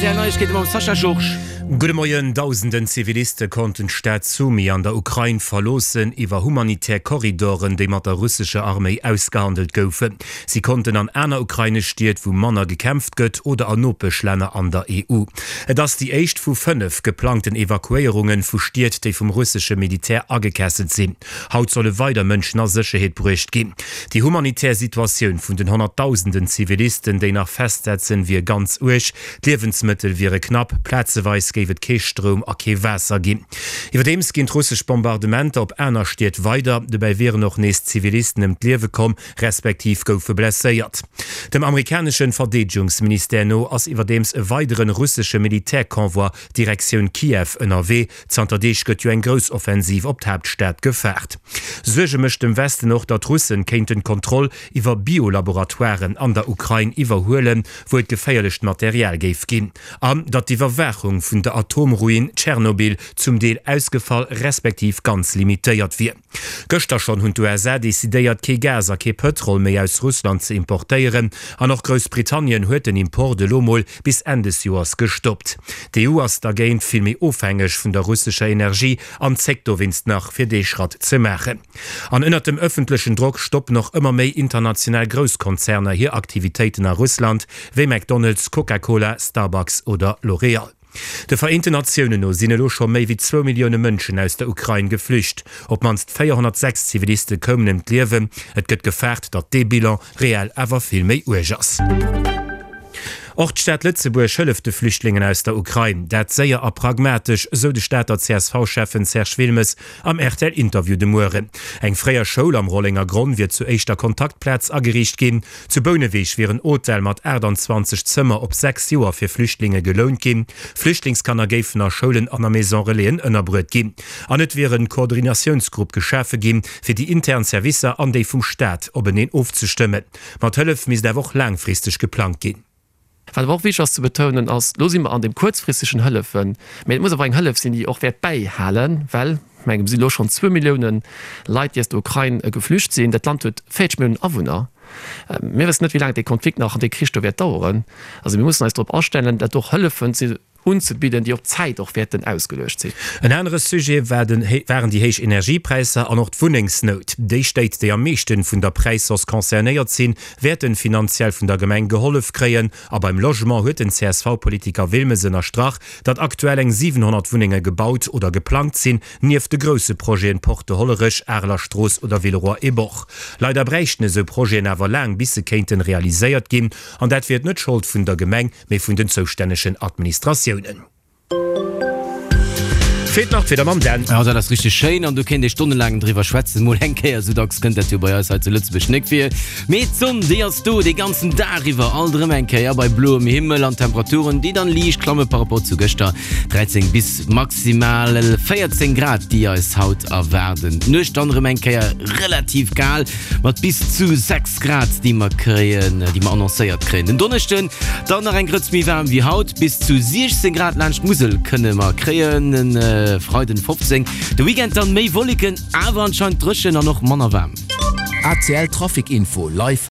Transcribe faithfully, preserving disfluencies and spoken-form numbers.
R T L Neiegkeete mam Sascha Georges. Gudde Moien, Dausenden Ziviliste konnten d'Stad Sumy an der Ukrain verloossen, iwwer humanitär Korridoren, déi mat der russescher Arméi ausgehandelt goufen. Si konnten an aner ukrainesch Stied, wou manner gekämpft gëtt, oder an Nopeschlänner an der E U. Et ass déi éischt vu fënnef geplangten Evakuéierunge vu Stied, déi vum russesche Militär agekesselt sinn. Haut solle weider Mënschen a Sécherheet bruecht ginn. Déi humanitär Situatioun vun den Honnertdausenden Zivilisten, déi nach festsetzen, wier ganz uerg. D'Liewensmëttel wiere knapp, plazeweis géif et kee Stroum a kee Waasser ginn. Iwwerdeems ginn d'russesch Bombardementer op aner Stied weider. Dobäi wieren och nees Zivilisten ëm d'Liewe komm, respektiv goufe blesséiert. Dem amerikanesche Verdeedegungsministère no ass iwwerdeems e weidere russesche Militärconvoi Direktioun Kiew ënnerwee. Zanter Deeg gëtt jo eng grouss Offensiv op d'Haaptstad gefaart. Suerge mécht dem Westen och, datt d'Russen kéinten d'Kontroll iwwer Biolaboratoiren an der Ukrain iwwerhuelen, wou et geféierlecht Material géif ginn, an datt d'Iwwerwaachung vun der Atomruin Tschernobyl zum Deel ausgefall respektiv ganz limitéiert wier. Gëschter schonn hunn d'U S A decidéiert, kee Gas a kee Pëtrol méi aus Russland ze importéieren, an och Groussbritannien huet den Import elo mol bis Enn des Joers gestoppt. D'E U ass dergéint vill méi ofhängeg vun der russescher Energie an zéckt dowéinst nach, fir dee Schratt ze maachen. An ënnert dem ëffentlechen Drock stoppen och ëmmer méi international Grousskonzerner hir Aktivitéiten a Russland, wéi McDonald's, Coca-Cola, Starbucks oder L'Oréal. De Vereenten Natiounen no sinn elo scho méi wéi zwou Millioune Mënschen aus der Ukrain geflücht. Op d'mannst véierhonnertsechs Ziviliste koumen ëm d'Liewen. Et gëtt gefaart, datt dee Bilan reell awer vill méi uerg ass. Och d'Stad Lëtzebuerg hëlleft de Flüchtlingen aus der Ukrain. Dat séier a pragmatesch, sou de Stater C S V-Schäffen Serge Wilmes am R T L-Interview de Mueren. Eng fréier Schoul am Rollengergronn wier zur éischter Kontaktplaz ageriicht ginn. Zu Bouneweg wier en Hotel mat aachtanzwanzeg Zëmmer op sechs Joer fir Flüchtlinge gelount ginn. Flüchtlingskanner géifen a Schoulen an a Maison-relaisen ënnerbruet ginn. An et wier e Koordinatiounsgrupp geschafe ginn, fir déi intern Servicer an déi vum Staat openeen ofzestëmmen. Mat Hëllef misst awer och laangfristeg geplangt ginn. Wat awer och wichteg ass ze betounen ass, lo si mer an deem kuerzfristegen Hëllefen, mä et muss awer eng Hëllef sinn, déi och wäert bäihalen, well, ech mengen, et si lo schonn zwou Millioune Leit, déi aus der Ukrain geflücht sinn. Dat Land huet véierzeg Milliounen Awunner. Mir wëssen net, wéi laang dee Konflikt nach an dee Krich do wäert daueren. Also mir mussen eis drop astellen, dat och Hëllefen ze unzebidden, déi op Zäit och wäerten ausgeluecht sinn. En anere Sujet war den, waren déi héich Energiepräisser an och d'Wunnengsnout. Déi Stéit, déi am meeschten vun der Präishausse concernéiert sinn, wäerten finanziell vun der Gemeng gehollef kréien. A beim Logement huet den C S V-Politiker Wilmes ënnerstrach, datt aktuell eng siwenhonnert Wunnenge gebaut oder geplangt sinn, nieft de grousse Projeten Porte de Hollerech, Areler Strooss oder Villeroy et Boch. Leider bräichten esou Projeten awer laang, bis se kéinten realiséiert ginn, an dat wier net d'Schold vun der Gemeng, mee vun den zoustännegen Administratiounen. Feelt nach d'Wieder mam Dan. Ja, dat ass richteg schéin an do kéint ee stonnelaang driwwer schwätzen. Mol eng Kéier, sou dacks kënnt dat jo bei eis hei zu Lëtzebuerg net vir. Mee d'Sonn, déi ass do dee ganzen Dag iwwer, alt erëm eng Kéier bei bloem Himmel an Temperaturen, déi dann liicht klamme par rapport zu gëschter. dräizéng bis maximal véierzéng Grad, déi eis haut erwaarden. D'Nuecht dann erëm eng Kéier relativ kal mat bis zu sechs Grad, déi mer kréien, déi mer annoncéiert kréien. Den Donneschden dann nach eng Grëtz méi waarm wéi haut, bis zu siechzéng Grad laanscht d'Musel kënne mer kréien. Freiden fofzéng. De Weekend dann méi Wolleken, awer anscheinend dréchen an och manner waarm. A C L Trafic Info live.